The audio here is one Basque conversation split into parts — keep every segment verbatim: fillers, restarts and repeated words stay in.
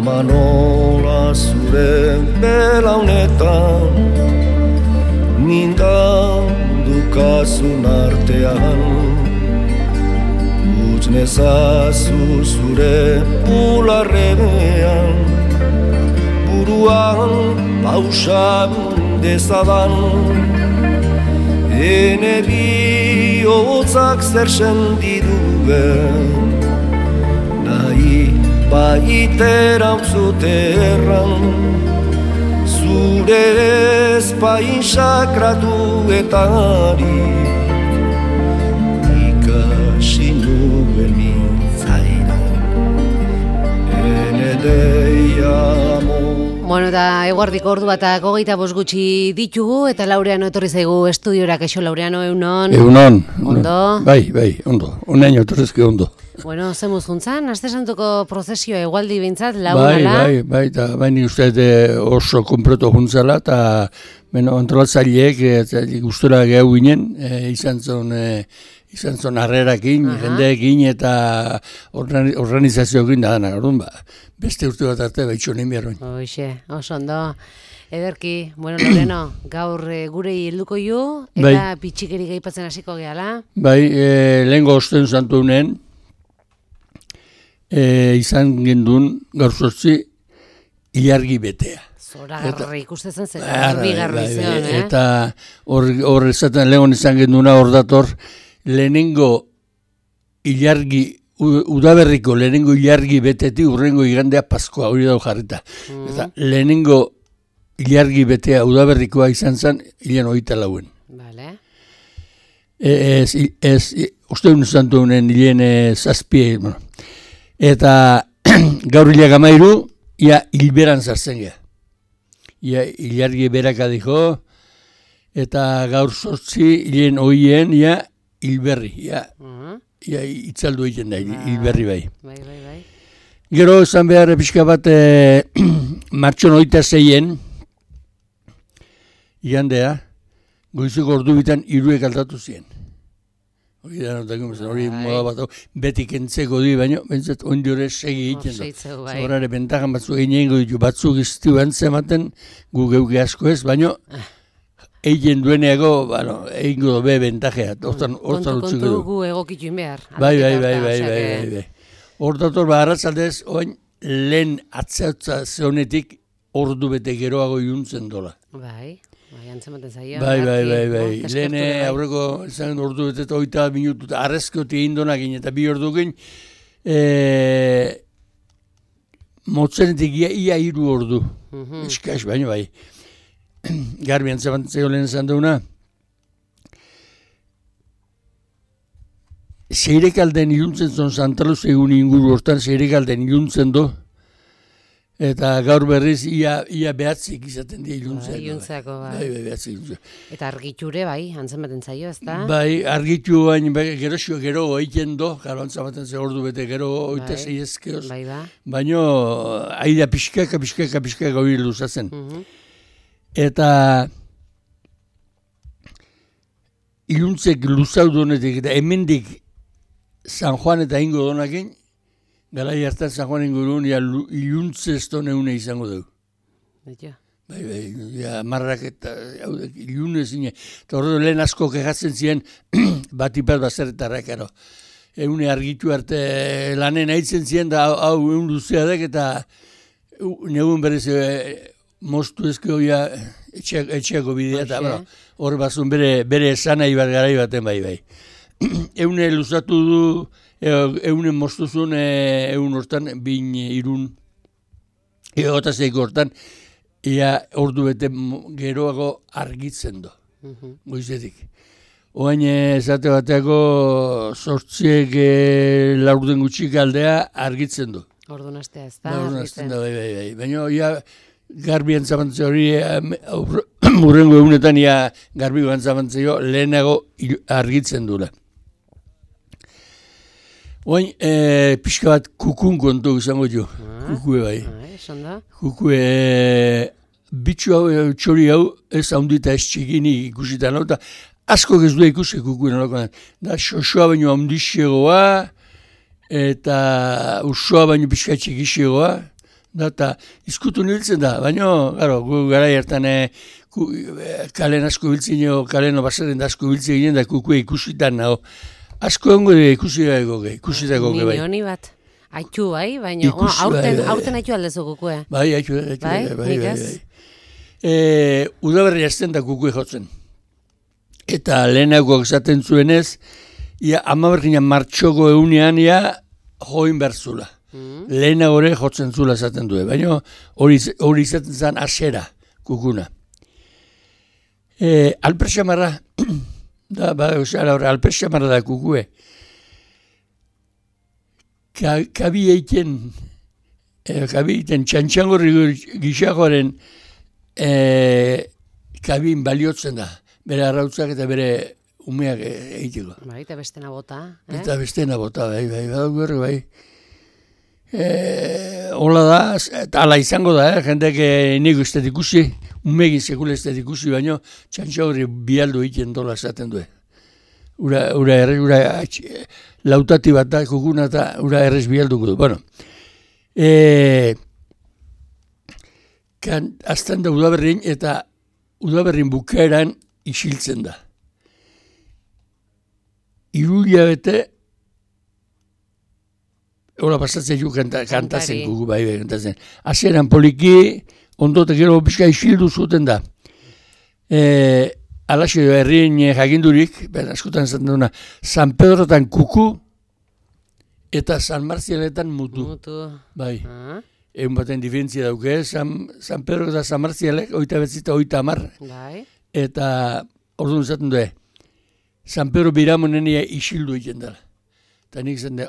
ama nola zure belaunetan nindan dukazun artean utz nezazu zure bularrean buruan pausan dezadan ene bihotzak zer sentiduen nahi baitera uzuterran zure ezpain sakratuetarik ikasi nuen mintzaira ene deia amor. Bueno, eta eguardiko ordu batak hogeita bost gutxi ditugu, eta Laureano etorri zaigu estudiora. Kaixo, Laureano, eunon? Eunon. Ondo? Bai, bai, ondo. Unaino etorrezke ondo. Bueno, zemuz juntzan, Aste Santuko prozesio egualdi bintzat, lagun bai, ala? Bai, bai, eta baini uste oso kompleto juntzala, eta bueno, antolatzaileek gustora gehu ginen, e, izan zon... E, izan zon harrerakin, jendeekin eta organizazioekin da danak, orduan ba, beste urte bat arte baitxo nahi behar bain. Hoxe, oso ondo. Ederki, bueno, Loreno, gaur e, gurei helduko ju, eta bai. Pitxikeri gaipatzen hasiko gehala. Bai, e, lehengo osten zantu honen, e, izan gendun gaur sortzi ilargi betea. Zoragarri ikustezen zen, garbi garbi zion, eh? Eta hor esaten lehon izan genduna hor dator, lehenengo ilargi, udaberriko lehenengo ilargi betetik urrengo igandea Paskoa, hori dago jarrita. Mm. Eta lehenengo ilargi betea udaberrikoa izan zen, hilean hogeita lauen. Vale. Ez, ez, uste hon zantu honen hilean zazpie, bueno. Eta gaur hilak amairu, ia hilberan zartzen geha. Ia ilargi beraka dijo, eta gaur sortzi hilean hoien, ia hilberri, ja, uh-huh. ja itzaldu egiten da, ah, hilberri bai. Bai, bai, bai. Gero esan behar pixka bat e, martxon oita zeien, igandea, goizuko ordu bitan hiruek aldatu ziren. Hori da, hori moda bat, betik entzeko di, baina bentzat ondi hori segi egiten da. Zorare bentajan batzuk egin ditu, batzuk iztiu antzematen, gu geuke asko ez, baina egin dueneago, bueno, egin godo be bentajea. Kontu, kontu gu egokitu behar. Bai, bai, bai, bai, bai, bai. Hor dator, ba, arratzaldez, oain, lehen atzautza zehonetik ordu bete geroago juntzen dola. Bai, bai, antzematen zaio. Bai, bai, bai, bai. Lehen aurreko, izan ordu bete eta oita minutu, arrezkoti egin donakin, eta bi ordu gen, motzenetik ia, ia iru ordu. Eskaz, baina bai. Garbi antzabantzeko lehen esan duguna. Seirekalden iluntzen zon Santaluz egun inguru hortan, seirekalden iluntzen do. Eta gaur berriz ia, ia behatzik izaten di iluntzen. Bai, iluntzeako, bai. Bai, bai, behatzik iluntzen. Eta argiture, bai, antzematen zaio, ez da? Bai, argitu bain, gero xo, gero egiten do, gero antzamaten ze ordu bete, gero oita zei ezkeoz. Bai, ba. Baina, aida pixkaka, pixkaka, pixkaka hori luzatzen. Uh-huh. Eta iluntzek luzau donetik, eta hemendik San Juan eta ingo donakin, garai hartan San Juan ingurun, ja iluntze ez doneune izango dugu. Baina. Bai, bai, ja, marrak eta ilune zine. Eta horredo lehen asko kejatzen ziren, bat ipat bazerretarrak, ero. Eune argitu arte lanen haitzen ziren, da hau egun luzea dek, eta negun berez moztu ezko ja etxeako bidea, eta hor bazun bere, bere esanai bat garai baten bai, bai. Eune luzatu du, eune moztuzun egun hortan, bin irun, egotazeiko hortan, ia ordu bete geroago argitzen do, uh-huh. Goizetik. Oain esate bateako sortziek laurden gutxik aldea argitzen du. Ordu nastea ez da, argitzen da, bai, bai, bai. Baina, ia, garbi antzamantze hori, urrengo egunetan, ia, garbi antzamantzeo lehenago argitzen dula. Oain, e, pixka bat kukun kontu izango jo, ah, kukue bai. Ah, kukue, bitxu hau, txori hau, ez haundita ez txikini ikusitan, eta asko ez du ikusi kukuen halakoan. Da, xoxoa baino handixegoa, eta usoa baino pixka txikixegoa, Da, eta izkutu niltzen da, baina, garo, gu gara hartan e, kalen asko biltzen jo, kalen obasaren da asko biltzen ginen da kukue ikusitan nago. Asko ongo de ikusi dago ge, ikusi dago ge bai. Ni honi bat. Aitu bai, baina oh, aurten, bai, aurten aitu aldezu kukue. Bai, aitu, aitu, bai, bai, bai, bai. bai. E, udaberri azten da kukue jotzen. Eta lehenagoak esaten zuenez, ia amabergina martxoko eunean ia join berzula. Mm. Lehenago ere jotzen zula esaten du, baina hori izaten zen asera kukuna. E, Alperxamarra, da, ba, osara hori, alperxamarra da kukue. Ka, kabi eiten, e, kabi eiten txantxangorri gixakoaren e, kabin baliotzen da. Bere arrautzak eta bere umeak egiteko. Bai, eta bestena bota. Eh? Eta bestena bota, bai, bai, bai, bai. E, hola da, eta ala izango da, eh? Jendeak nik ez dut ikusi, umegin sekule ez dut ikusi, baina txantxa horri bialdu egiten dola esaten du. Ura, ura errez, ura lautati bat da, kukuna eta ura errez bialduko du. Bueno, e, kan, azten da udaberrin eta udaberrin bukaeran isiltzen da. Irulia bete, hola pasatzen ju kanta, kantazen kuku, bai, bai, kantazen. Azeran poliki, ondotek gero pixka isildu zuten da. E, alaxe herrien jakindurik, ben askotan zaten duna, San Pedrotan kuku eta San Marzialetan mutu. Mutu. Bai. Ah. Egun baten diferentzia dauke, San, San Pedro eta San Marzialek, oita betzita, oita amar. Bai. Eta orduan zaten du, San Pedro biramonenia isildu egiten dela. Eta nik zaten da,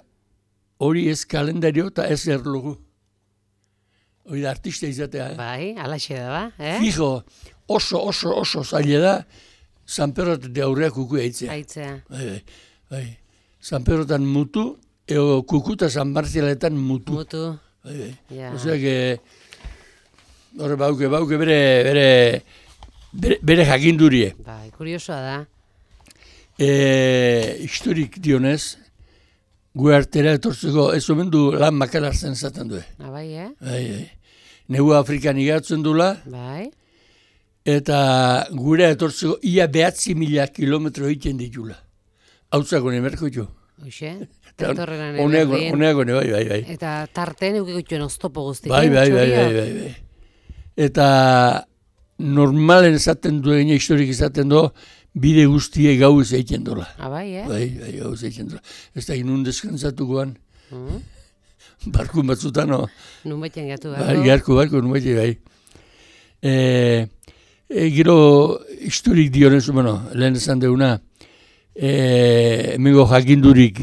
hori ez kalendario eta ez erlogu. Hori da artista izatea. Eh? Bai, alaxe da ba. Eh? Fijo, oso, oso, oso zaila da, San Pedro eta aurreak kuku eitzea. Aitzea. Bai, bai, bai. San Pedrotan mutu, eo kuku eta San Marzialetan mutu. Mutu. Bai, bai. Ja. Osea, que, hori bauke, bauke bere, bere, bere, bere jakindurie. Bai, kuriosoa da. E, historik dionez, gu artera etortzeko ez omen du lan makalartzen zaten du. Ah, bai, eh? Bai, bai. Negu Afrikan igatzen dula. Bai. Eta gure etortzeko ia behatzi mila kilometro egiten ditula. Hautzako nemerko jo. Hoxe, tentorrenan Oneako, oneako ne, bai, bai, bai. Eta tarten eukiko joan oztopo guztik. Bai, bai, bai, bai, bai, bai. Eta normalen esaten du, egin historik esaten du, bide guztie gauz egiten dola. Ah, bai, eh? Bai, bai, gauz egiten dola. Ez da inun deskantzatukoan. Mm. Barkun batzutan, no? Nun baitean gatu, bai? Bai, garko, barko, nun baitean, bai. E, e, gero, historik dionez, bueno, lehen esan deuna, e, emengo jakindurik,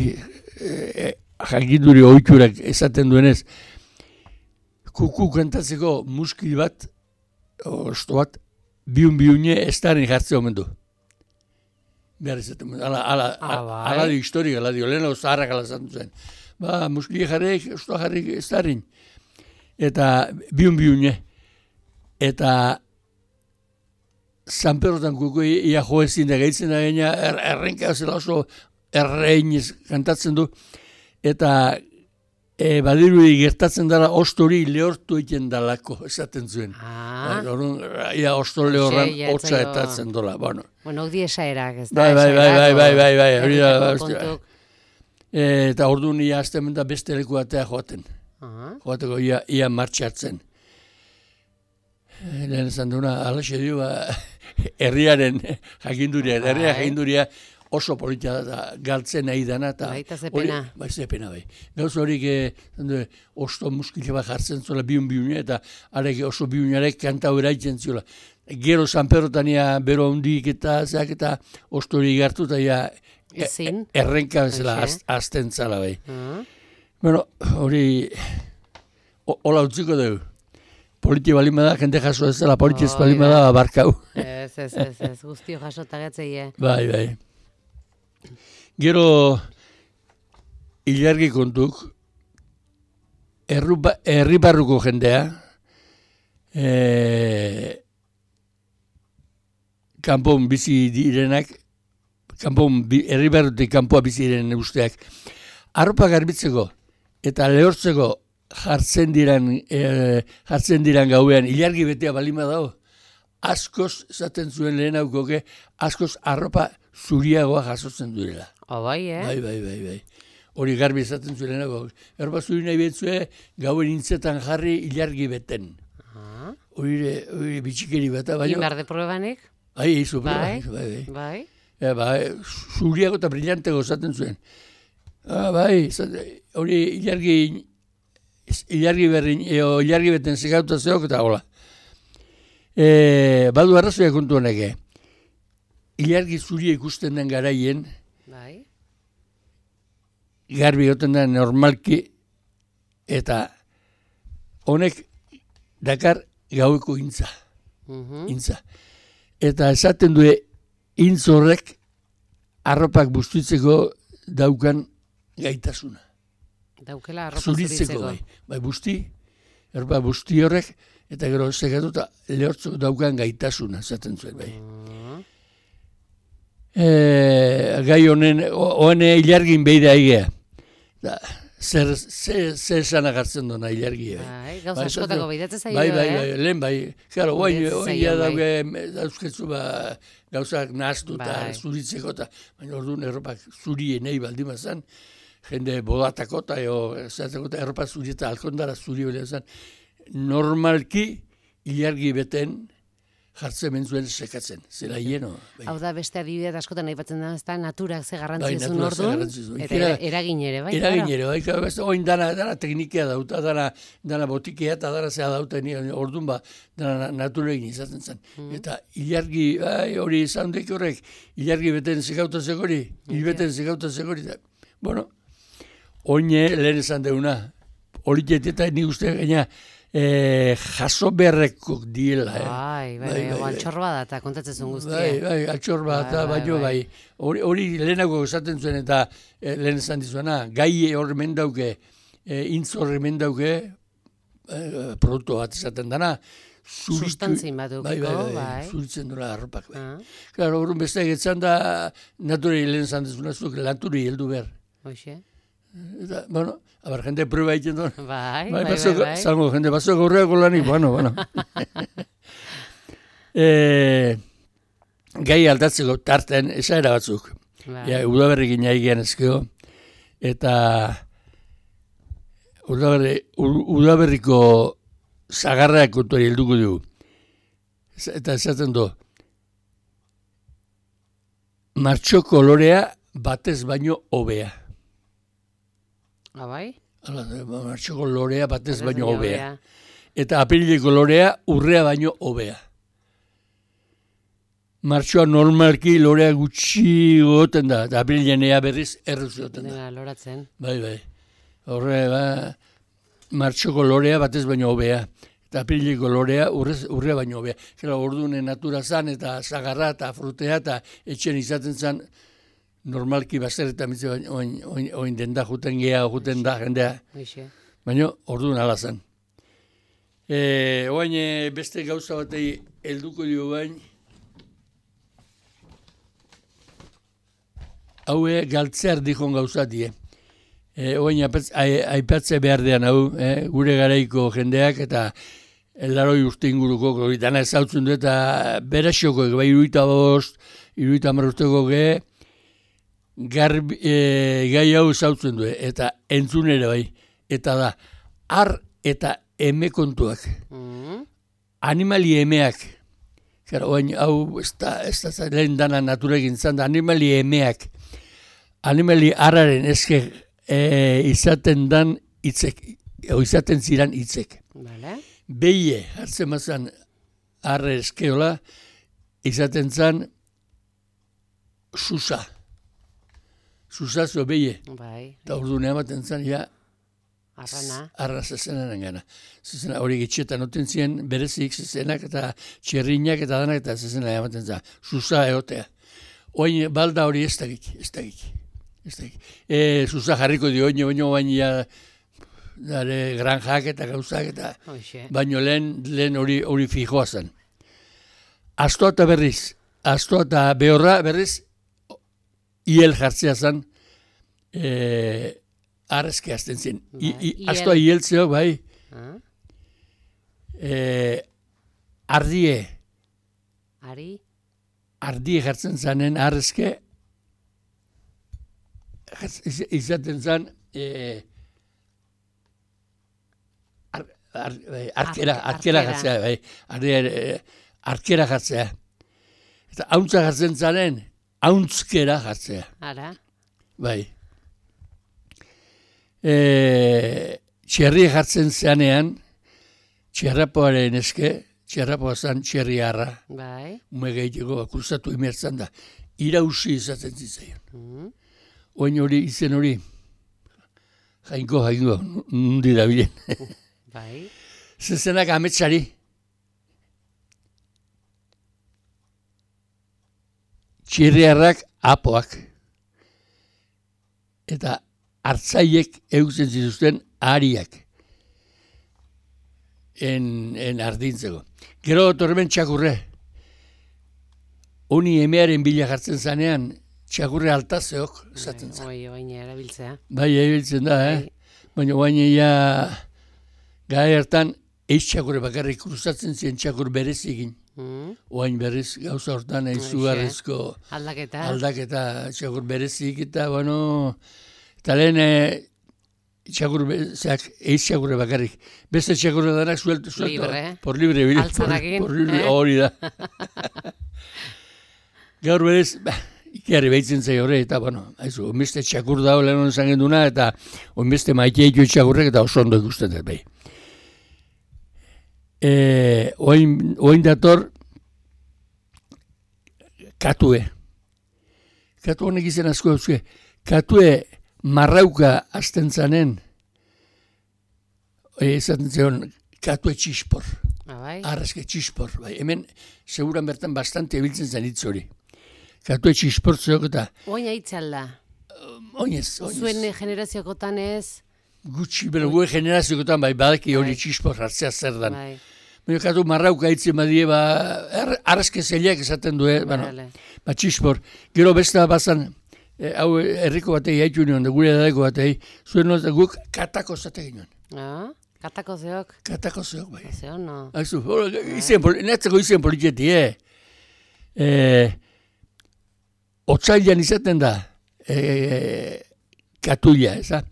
e, jakinduri ohiturak esaten duenez, kuku kantatzeko muskil bat, osto bat, biun-biune ez darin jartzea omen du. Behar izaten, ala, ala, ala, ala dio historik, ala dio, lehen hau zaharrak ala zantu zen. Ba, muskili jarrik, ostoa jarrik ez darin. Eta biun-biune. Eta San Pedrotan kuku ia joezin da gaitzen da gaina, er, errenka zela oso erreinez kantatzen du. Eta e, badirudi gertatzen dela ostori lehortu egiten dalako, esaten zuen. Ah. Horun, ia ostor lehorran hotza etatzen dola. Bueno, bueno di esaerak, ez da? Bai, bai, bai, bai, bai, bai, bai, hori da. Eta orduan ia aztemen da beste leku batea joaten. Joateko ia, ia martxatzen. Lehen esan duna, alaxe dio, herriaren jakinduria, herria jakinduria oso politia da, galtzen nahi dana. Baita zepena. Bai, zepena, bai. Gauz horik, eh, osto muskile bat jartzen zuela biun-biune, eta arek oso biunarek kanta hori haitzen zuela. Gero San Pedrotania bero hundik eta zeak eta ostori gartu eta ja Ezin. errenka bezala azten zala, bai. Uh-huh. Bueno, hori, hola utziko dugu. Politia balima da, jende jaso ez dela, politia ez balima da, barkau. Ez, ez, ez, ez, guztio jaso tagatzeie. Bai, bai. Gero, ilargi kontuk, herri barruko jendea, e, kanpon bizi direnak, kanpon, herri barrutik kanpoa bizi diren usteak, arropa garbitzeko eta lehortzeko jartzen diran, e, jartzen diran gauean, ilargi betea balima dago, askoz, esaten zuen lehen haukoke, askoz arropa zuriagoa jasotzen duela. Oh, bai, eh? Bai, bai, bai, bai. Hori garbi esaten zuen lehen haukoke. Arropa zuri nahi betzue, gauen intzetan jarri ilargi beten. Ah. Hori bitxikeri bat. Indar de probanek? Bai, izu, bai, bai, bai. Bai. Ja, bai, zuriago eta brillantego esaten zuen. Ah, bai, hori ilargi, ilargi berrin, eo, ilargi beten segauta zeok eta hola. E, badu arrazoia kontu honeke. Ilargi zuria ikusten den garaien, bai. Garbi goten den normalki, eta honek dakar gaueko intza. Uh-huh. Intza. Eta esaten du intz horrek arropak bustitzeko daukan gaitasuna. Daukela arropa zuritzeko. Zuritzeko bai. Bai, busti, erba busti horrek, eta gero segatuta lehortzeko daukan gaitasuna, esaten zuen bai. Uh-huh. E, gai honen, honen ilargin beida egea. Da, zer, zer, zer esan agartzen duna ilargi. Bai, gauza askotako behidatzen zaio, bai, bai, eh? Bai, lehen bai. Claro, oin, oin ja bai. dauke, dauzketzu ba, gauzak nahaztu eta Bai. zuritzeko, eta baina orduan erropak zurien nahi baldin bazan, jende bodatako eta zeratzeko eta erropak zuri eta alkondara zuri bale bazan, normalki ilargi beten jartzen mentzuen sekatzen, zela hieno. Bai. Hau da beste adibidea askotan aipatzen da, ezta naturak ze Bai, garrantzia zuen naturak ze orduan, garrantzia zuen. eta era- eragin ere, bai? Eragin claro. ere, bai, claro, beste, oin dana, dana teknikia dauta, dana, dana botikea eta dana zea dauta, ni, orduan ba, dana naturegin izaten zen. Mm. Eta ilargi, bai, hori zaundek horrek, ilargi beten zekauta zekori, hilbeten zekauta zekori, da, bueno, oine lehen esan deuna, hori eta nik uste gaina, E, jaso beharrekok diela. Eh? Bai, bai, bai, bai, altxor bada eta kontatzen zuen guztia. Bai, bai, altxor bada, Bai, baino, bai, bai. Hori, hori lehenago esaten zuen eta e, lehen esan dizuena, gai hor mendauke, e, intz hor mendauke, e, produktu bat esaten dana, zuritu, Sustantzin bat bai, bai, bai, bai. zuritzen duela arropak. Bai. Ah, Claro, horren beste egetzan da, naturei lehen esan dizuna, zuk lanturi heldu behar. hoxe. Eta, bueno, abar, jende prueba egiten duen. Bai, Bai, bai, paso, bai, bai. zango, jende, paso gaurreako lanik, bueno, bueno. e, gai aldatzeko tarten, esaera batzuk. Bai. Ja, udaberrikin aigean ezkeo, eta udaberri, udaberriko zagarrak kontuari helduko dugu. Eta esaten du, martxo kolorea batez baino hobea. Ah, bai? Hala, martxoko lorea batez Batez baino baino hobea. hobea. Eta apirileko lorea urrea baino hobea. Martxoa normalki lorea gutxi goten da, eta apirilean ea berriz erruz goten da. Dena loratzen. Bai, bai. Horre, ba, martxoko lorea batez baino hobea. Eta apirileko lorea urrez, urrea baino hobea. Gero, orduan natura zan, eta zagarra, eta frutea, eta etxen izaten zan, normalki bazer eta mitze oin, oin, oin den da, juten geha, juten da, jendea. Hoxe. Baina, orduan ala zen. E, oain e, beste gauza batei helduko dio bain, haue galtzear dikon gauzati, eh? E, oain aipatze behar dean hau, eh? Gure garaiko jendeak eta laroi urte inguruko, hori dana ezautzen du eta berasioko, bai iruita bost, iruita marrusteko ge, garbi, e, gai hau ezautzen du, eta entzunere bai, eta da, ar eta eme kontuak. Mm. Animali emeak, gara, oain, hau, ez da, ez da, lehen dana naturekin zan da, animali emeak, animali arraren eske e, izaten dan hitzek, o izaten ziran hitzek. Vale. Beie, hartzen mazan, arre eskeola, izaten zan, susa. Susazo beie. Bai. Eta orduan ematen zan, ja, Arrana. arra zezenaren gana. Zezena, hori gitxetan noten ziren berezik zezenak eta txerrinak eta danak eta zezena ematen zan. Susa egotea. Oin balda hori ez dakik, ez dakik. Ez dakik. E, susa jarriko dio, oin baino baino ja, dare granjak eta gauzak eta Hoxe. baino lehen, lehen hori, hori fijoa zen. Astoa eta berriz, astoa eta behorra berriz, hiel jartzea zen, e, arrezke hasten zen. Bai, I, i, iel. astoa hieltzeok, bai, Ah, e, ardie, Ari, ardie jartzen zanen arrezke, jartz- iz- izaten zan, e, ar, ar, bai, arkera, Arke- arkera arkera. jartzea, bai, ardie, e, arkera jartzea. Eta hauntza jartzen zanen, hauntzkera jartzea. ara, Bai. E, txerri jartzen zeanean, txerrapoaren eske, txerrapoa zan txerriarra, bai. ume gehiago kruzatu imertzan da, irausi izaten zitzaion. Mm. Oin hori, izen hori, jainko, jainko, nundi da bilen. Bai, Zezenak ametsari, txerriarrak apoak, eta hartzaiek eutzen zituzten ariak en, en ardintzeko. Gero tormen txakurre. Honi emearen bila jartzen zanean, txakurre altazeok esaten zen. oi, oin erabiltzea. Bai, erabiltzen da, eh? Bai. Baina baina ja, gai hartan, eiz txakurre bakarrik kruzatzen ziren txakur berezikin. Mm. Oain berriz gauza hortan Hoxe. izugarrizko Aldaketa. aldaketa txakur berezik eta, bueno, eta lehen e, txakur, be- zeak, eiz txakurre bakarrik. Beste txakurre danak suelto, suelto. Libre. Por libre, bil- Altzanakin, por libre, eh? hori da. Gaur berez, bah, ikerri behitzen zai horre, eta, bueno, haizu, onbeste txakur dago lehen honen zangen duna, eta onbeste maite ditu txakurrek, eta oso ondo ikusten dut, bai. E, oin, oin dator, katue. Katu honek izan asko euske. Katue marrauka azten zanen, e, esaten zion, katue txispor. Ah, bai. Arrezke txispor. Bai. Hemen, seguran bertan bastante ebiltzen zen hitz hori. Katue txispor zeok eta, Oin aitzalda. oinez, oinez. Zuen generaziokotan ez, Gutxi, bero, gue generaziokotan, bai, badaki hori Bai. txispor hartzea zer dan. bai. Baina katu marrauka hitzen badie, ba, er, arrezke zeliak esaten du, eh? Bueno, Vale. ba, txispor. Gero beste bazan, e, hau herriko batei haitu nion, gure edadeko batei, zuen noz, guk katako zate ginen. Ah, katako zeok. Katako zeok, bai. Zeo, no. Aizu, izen, poli- netzeko izen politxeti, eh? E, otzailan izaten da, e, katuila, eza?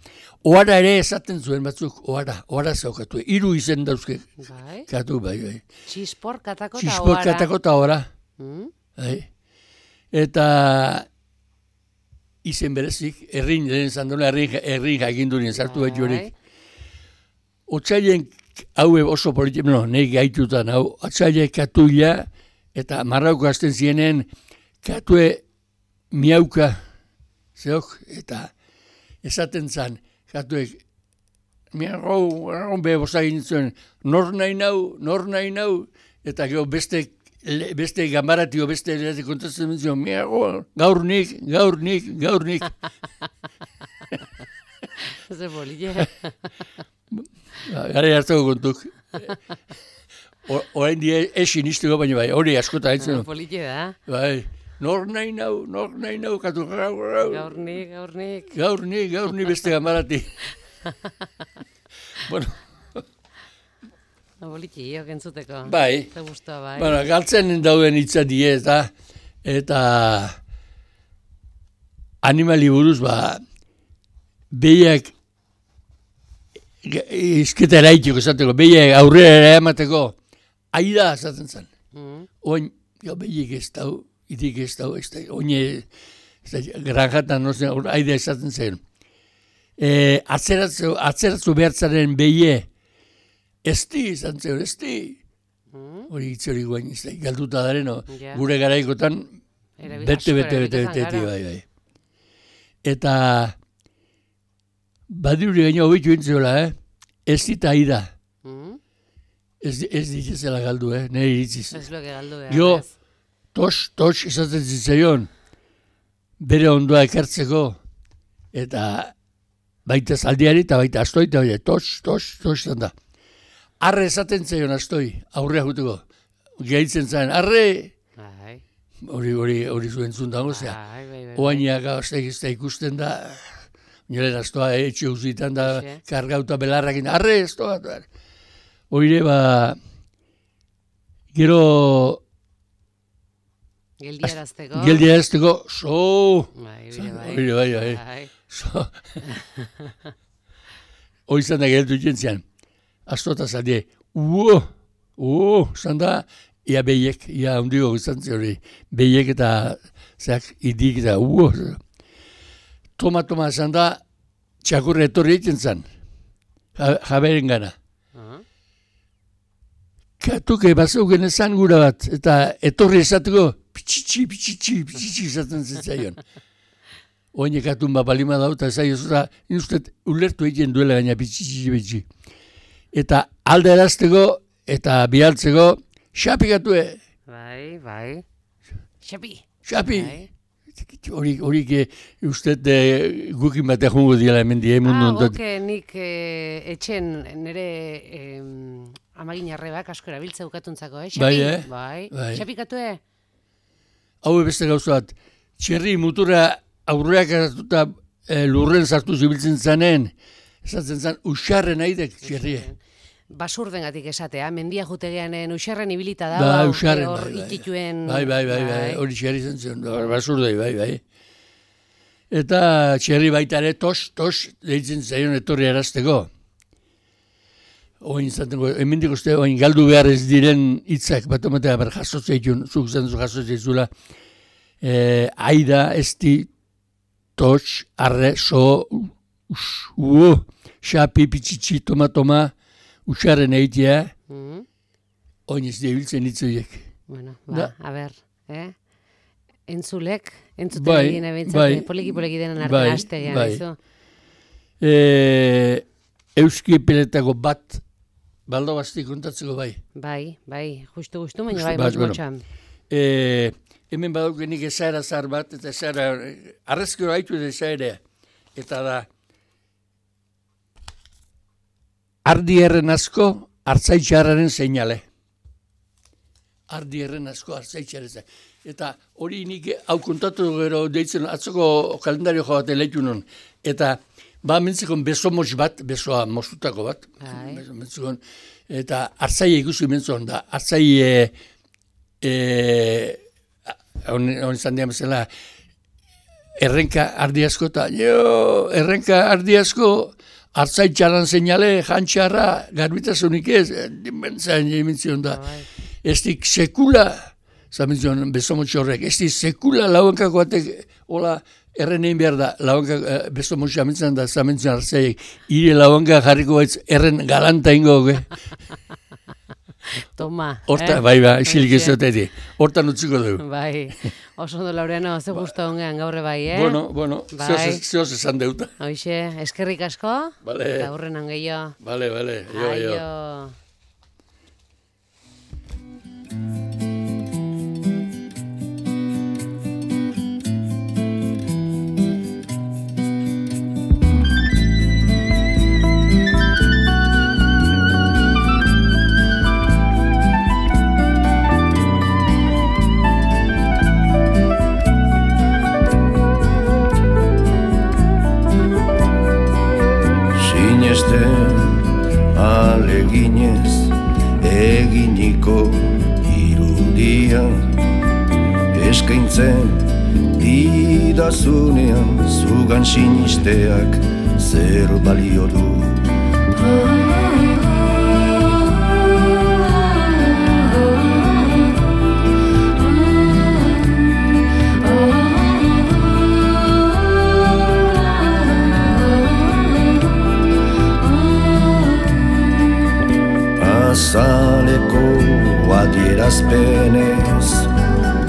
Oara ere esaten zuen batzuk, oara, oara zeokatu. Hiru izen dauzke Bai. katu, bai, bai. Txispor, katako eta Txispor ohara. katako eta oara. Mm? Bai. Eta izen berezik, errin, lehen zandona, errin, errin jakindurien sartu Bai. behar jorik. Otzailen haue oso politik, no, nahi gaitutan, hau, otzailen katuila, eta marrauko hasten zienen, katue miauka, zeok, eta esaten zan, katuek, miarrau, miarrau behe bosagin zuen, nor nahi nau, nor nahi nau, eta gero beste, le- beste gambaratio, beste lehati kontatzen zion, miarrau, gaur nik, gaur nik, gaur nik. Ze polile. Ba, Gara hartzeko kontuk. O- Orain die esin izteko, baina bai, hori askota haitzen. Polile da. Bai, nor nahi nau, nor nahi nau, katu gaur, gaur, Gaurnik, gaurnik. gaur ni, gaur ni beste gamarati. Bueno, Poliki, hiok entzuteko. bai, Ze guztua, bai. bueno, galtzen dauden hitza die, eta, eta animali buruz, ba, behiak izketa eraitiko esateko, behiak aurrera ere emateko, aida esaten zen. Mm. Oin, jo, behiek ez dau, itik ez dau, ez da, oine, ez da, granjatan, no zen, aida esaten zen. E, atzeratzu, atzeratzu behartzaren behie, ez di, izan zen, ez di. Mm. Hori hitz hori guain, ez da, galduta dareno, Ja. gure garaikotan, Erabil- bete, asko bete, bete, erabiltzen bete, bete, gara. bai, bai. Eta, badiruri gaino hobitu intzeola, eh? Ez dita aida, Mm. ez, ez ditzela galdu, eh? Nire iritziz. Ez loke galdu behar. Jo, ez. tos, tos izaten zitzaion, bere ondoa ekartzeko, eta baita zaldiari, eta baita astoi, eta baita tos, tos, tos izan da. Arre esaten zaion astoi, aurrea juteko. Gehitzen zain, arre! Bai, Hori, hori, hori zuen zundango, zea. bai, bai, bai. Oainak gauztek ez da ikusten da, nire astoa etxe uzitan da kargauta belarrakin, arre ez toa. Oire, ba, gero... Geldiarazteko. Geldiarazteko, so... Bai, bai, oire, bai, bai. bai. So... Oizan da geltu jentzian, astota zadie, uo, uo, zanda, ia behiek, ia hundigo guztantzi hori, behiek eta, zeak, idik eta, uo. Toma, toma, zanda, txakurra etorri egiten zan, jaberen gana. Uh-huh. Katuke, bazauken ezan gura bat, eta etorri esateko, pitxitxi, pitxitxi, pitxitxi izaten zitzaion. Oinek atun bat balima dauta, ez da, inustet, ulertu egiten duela gaina pitxitxi, pitxitxi. Eta alde erazteko, eta bihaltzeko, xapi gatue. Bai, bai. Xapi. Xapi. Horik, horik, ustet gukin batean jungo diela hemen die mundu. Ah, oke, nik etxen nire amagin arrebak asko erabiltza ukatuntzako, eh? Bai, eh? Bai. Xapi gatue. Hau beste gauza bat, txerri mutura aurreak hartuta e, lurren sartu zibiltzen zanen, esatzen zan, usarren aidek txerrie. Basurdengatik esatea, mendia jutegeanen usarren ibilita da, ba, usarren, hor bai, itituen... Bai, bai, bai, bai, hori txerri zen zen, basurdei, bai, bai. Eta txerri baita ere, tos, tos, deitzen zaion etorri arazteko. Oin zatengo, hemendik uste, oin galdu behar ez diren hitzak, bat omatea, ber jasotzeitun, zuk zen zu jasotzeizula, e, aida, esti, tos, arre, so, us, uo, xapi, pitxitxi, toma, toma, usaren eitea, mm-hmm. Oin ez dibiltzen hitzoiek. Bueno, ba, a ber, eh? Entzulek, entzuten bai, egin ebintzate, bai, poliki-poliki denen artean bai, hastegean, bai. Izo? E, Euski peletako bat, baldo basti kontatzeko bai. Bai, bai, justu-justu, baina bai, motz-motxan. E, hemen badaukenik ezaera zar bat, eta ezaera, arrezkero haitu edo ezaerea. Eta da, ardi erren asko, hartzaitxarraren seinale. Ardi erren asko, hartzaitxarren. Eta hori nik hau kontatu gero deitzen, atzoko kalendario jo bat eleitu non. Eta, ba, mentzikon beso motz bat, besoa moztutako bat. Mentzikon, eta hartzaile ikusi mentzikon da, hartzaile, e, hon izan dian bezala, errenka ardi asko eta, jo, errenka ardi asko, hartzaitxarran seinale, jantxarra, garbitasunik ez, dimentzain jementzion da. Estik sekula, zamentzion beso motz horrek, estik sekula lauenkako batek, hola, erren egin behar da, lauanka, uh, beso motxa amintzen da, zamentzen hartzaiek, ire lauanka jarriko baitz, erren galanta ingo, ge? Toma. Horta, eh? bai, bai, isilik ez duteti. Hortan utziko dugu. Bai, oso ondo Laureano, ze gustu ongean gaurre bai, eh? Bueno, bueno, bai. Zehoz esan deuta. Hoxe, eskerrik asko, vale. Eta hurrenan gehiago. Vale, vale, jo, jo. Aio. Aleginez eginiko irudia eskaintzen didazunean zugan sinisteak zer balio du. Azaleko adierazpenez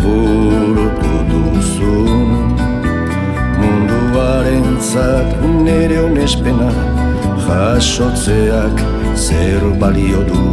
burutu duzun munduarentzat nere onespena jasotzeak zer balio du.